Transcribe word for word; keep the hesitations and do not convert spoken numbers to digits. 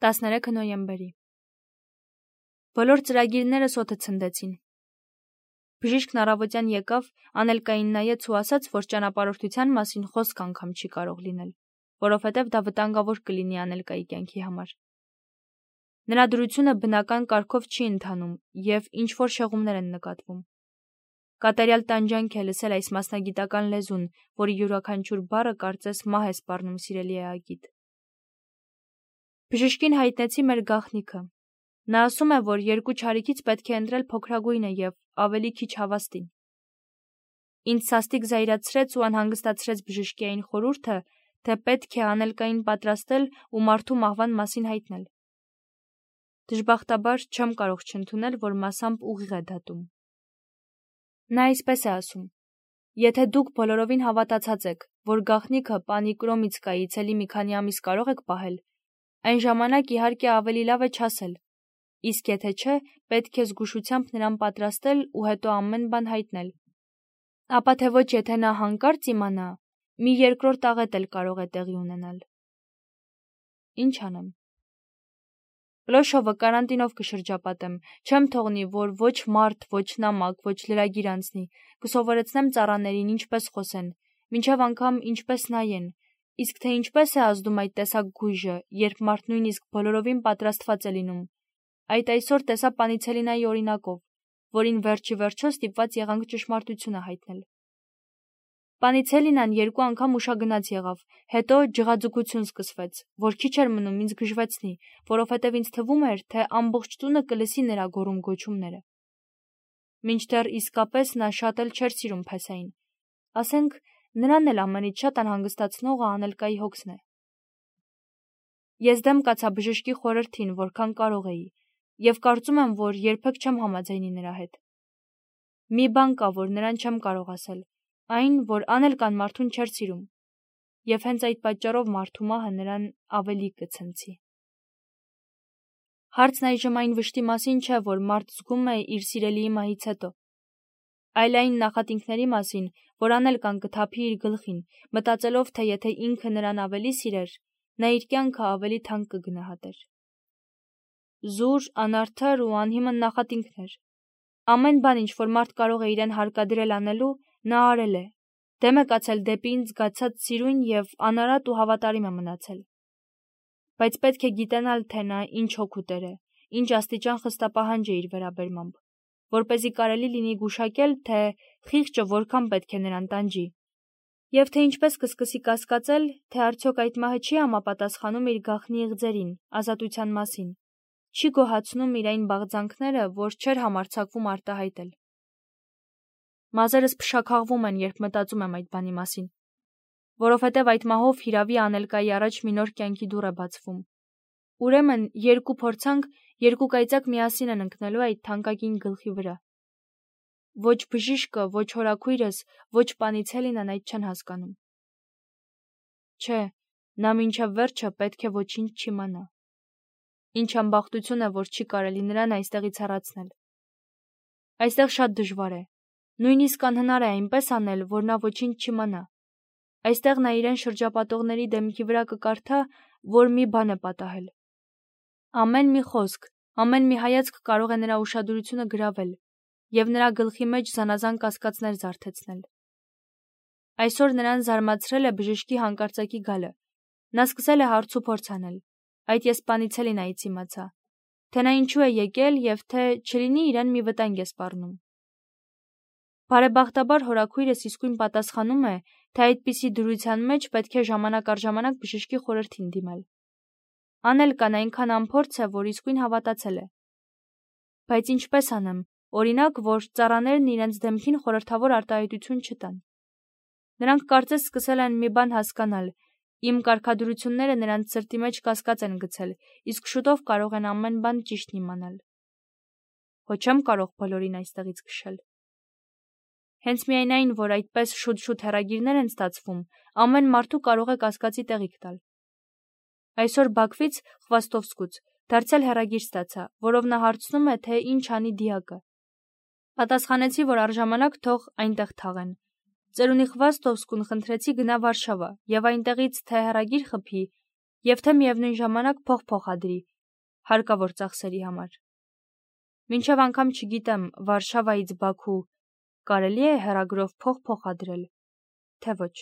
տասներեքը նոյեմբերի Բոլոր ծրագիրները սոթը ցնդեցին։ Բժիշկն առավոտյան եկավ, Անելկային նայեց ու ասաց, որ ճանապարհորդության մասին խոսք անգամ չի կարող լինել, որովհետև դա վտանգավոր կլինի Անելկայի կյանքի համար։ Նրա դրությունը բնական կարգով չի ընթանում եւ ինչ-որ շեղումներ են նկատվում։ Կատարյալ տանջանք է լսել այս մասնագիտական լեզուն, որի յուրաքանչյուր բառը կարծես մահ է սպառնում սիրելի Ագիտ։ Բժիշկին հայտնեցի մեր գաղտնիքը։ Նա ասում է, որ երկու չարիքից պետք է ընտրել փոքրագույնը եւ ավելի քիչ հավաստին։ Ինձ սաստիկ զայրացրեց ու անհանգստացրեց բժշկի այն խորհուրդը, թե պետք է Անելկային պատրաստել ու մարդու մահվան մասին հայտնել։ Դժբախտաբար չեմ կարող չընդունել, որ մասամբ ուղիղ է դատում։ Նա այսպես է ասում. Եթե դուք բոլորովին հավատացած եք, որ գաղտնիքը Պանիկրոմիցկայի ցելի մի քանի ամիս կարող եք պահել, այն ժամանակ իհարկե ավելի լավ է չասել, իսկ եթե չէ, պետք է զգուշությամբ նրան պատրաստել ու հետո ամեն բան հայտնել։ Ապա թե ոչ, եթե նա հանկարծ իմանա, մի երկրորդ աղետ էլ կարող է տեղի ունենալ։ Ինչ անեմ։ Լոշովը կարանտինով կշրջապատեմ, չեմ թողնի, որ ոչ մարդ, ոչ նամակ, ոչ լրագիր անցնի, կսովորեցնեմ ծառաներին ինչպես խոսեն, մինչև անգամ ինչպես նայեն, իսկ թե ինչպես է ազդում այդ տեսակ գույժը, երբ մարդ նույնիսկ բոլորովին պատրաստված է լինում, այդ այսօր տեսա Պանիցելինայի օրինակով, որին վերջի վերջո ստիպված եղանք ճշմարտությունը հայտնել։ Պանիցելինան երկու անգամ ուշագնաց եղավ, հետո ջղաձգություն սկսվեց, որ քիչ էր մնում ինձ գժվեցնի, որովհետև ինձ թվում էր, թե ամբողջ տունը կլսի նրա գոռում-գոչումները։ Մինչդեռ իսկապես նա շատ էլ չէր սիրում Փեսային, ասենք, նրան էլ ամենից շատ անհանգստացնողը Անելկայի հոգսն է։ Ես դեմ կացա բժշկի խորհրդին, որքան կարող էի, եւ կարծում եմ, որ երբեք չեմ համաձայնի նրա հետ։ Մի բան կա, որ նրան չեմ կարող ասել, այն, որ Անելկան մարդուն չէր սիրում, եւ հենց այդ պատճառով մարդու մահը նրան ավելի կցնցի։ Հարցն այժմ այն վշտի մասին չէ, որ մարդ զգում է իր սիրելիի մահից հետո, այլ այն նախատինքների մասին, որ Անելկան կթափի իր գլխին, մտածելով, թե եթե ինքը նրան ավելի սիրեր, նա իր կյանքը ավելի թանկ կգնահատեր։ Զուր, անարդար ու անհիմն նախատինքներ։ Ամեն բան, ինչ որ մարդ կարող է իրեն հարկադրել անելու, նա արել է, դեմ է կացել դեպի ինձ զգացած սիրուն եւ անարատ ու հավատարիմ է մնացել։ Բայց պետք է գիտենալ, թե նա ինչ հոգուտեր է, ինչ աստիճան խստապահանջ է իր վերաբերմամբ, որպեսզի կարելի լինի գուշակել, թե խիղճը որքան պետք է նրան տանջի, եւ թե ինչպես կսկսի կասկածել, թե արդյոք այդ մահը չի համապատասխանում իր գաղտնի իղձերին, ազատության մասին, չի գոհացնում իր այն բաղձանքները, որ չէր համարձակվում արտահայտել։ Մազերս փշաքաղվում են, երբ մտածում եմ այդ բանի մասին, որովհետև այդ մահով հիրավի Անելկայի առաջ մի նոր կյանքի դուռ է բացվում։ Ուրեմն երկու փորձանք, երկու կայծակ միասին են ընկնելու այդ թանկագին գլխի վրա։ Ոչ բժիշկը, ոչ հորաքույրս, ոչ Պանիցելինան այդ չեն հասկանում։ Չէ, նա մինչև վերջը պետք է ոչինչ չիմանա։ Ինչ ամբախտություն է, որ չի կարելի նրան այստեղից հեռացնել։ Այստեղ շատ դժվար է, նույնիսկ անհնար է այնպես անել, որ նա ոչինչ չիմանա։ Այստեղ նա իրեն շրջապատողների դեմքի վրա կկարդա, որ մի բան է պատահել։ Ամեն մի խոսք, ամեն մի հայացք կարող է նրա ուշադրությունը գրավել եւ նրա գլխի մեջ զանազան կասկածներ զարթեցնել։ Այսօր նրան զարմացրել է բժշկի հանկարծակի գալը։ Նա սկսել է հարց ու փորձ անել։ Այդ ես Պանիցելինայից իմացա, թե նա ինչու է եկել եւ թե չլինի իրեն մի վտանգ է սպառնում։ Բարեբախտաբար հորաքույրս իսկույն պատասխանում է, թե այդպիսի դրության մեջ պետք է ժամանակ առ ժամանակ բժշկի խորհրդին դիմել։ Անելկան այնքան անփորձ է, որ իսկույն հավատացել է։ Բայց ինչպես անեմ, օրինակ, որ ծառաներն իրենց դեմքին խորհրդավոր արտահայտություն չտան։ Նրանք կարծես սկսել են մի բան հասկանալ, իմ կարգադրությունները նրանց սրտի մեջ կասկած են գցել, իսկ շուտով կարող են ամեն բան ճիշտն իմանալ։ Հո չեմ կարող բոլորին այստեղից քշել։ Հենց միայն այն, որ այդպես շուտ-շուտ հեռագիրներ են ստացվում, ամեն մարդու կարող է կասկածի տեղիք տալ։ Այսօր Բաքվից, Խվաստովսկուց, դարձյալ հեռագիր ստացա, որով նա հարցնում է, թե ինչ անի դիակը։ Պատասխանեցի, որ առժամանակ թող այնտեղ թաղեն։ Ծերունի Խվաստովսկուն խնդրեցի գնա Վարշավա եւ այնտեղից թե հեռագիր խփի, եւ թե միևնույն ժամանակ փող փոխադրի հարկավոր ծախսերի համար։ Մինչև անգամ չգիտեմ, Վարշավայից Բաքու կարելի է հեռագրով փող փոխադրել, թե ոչ։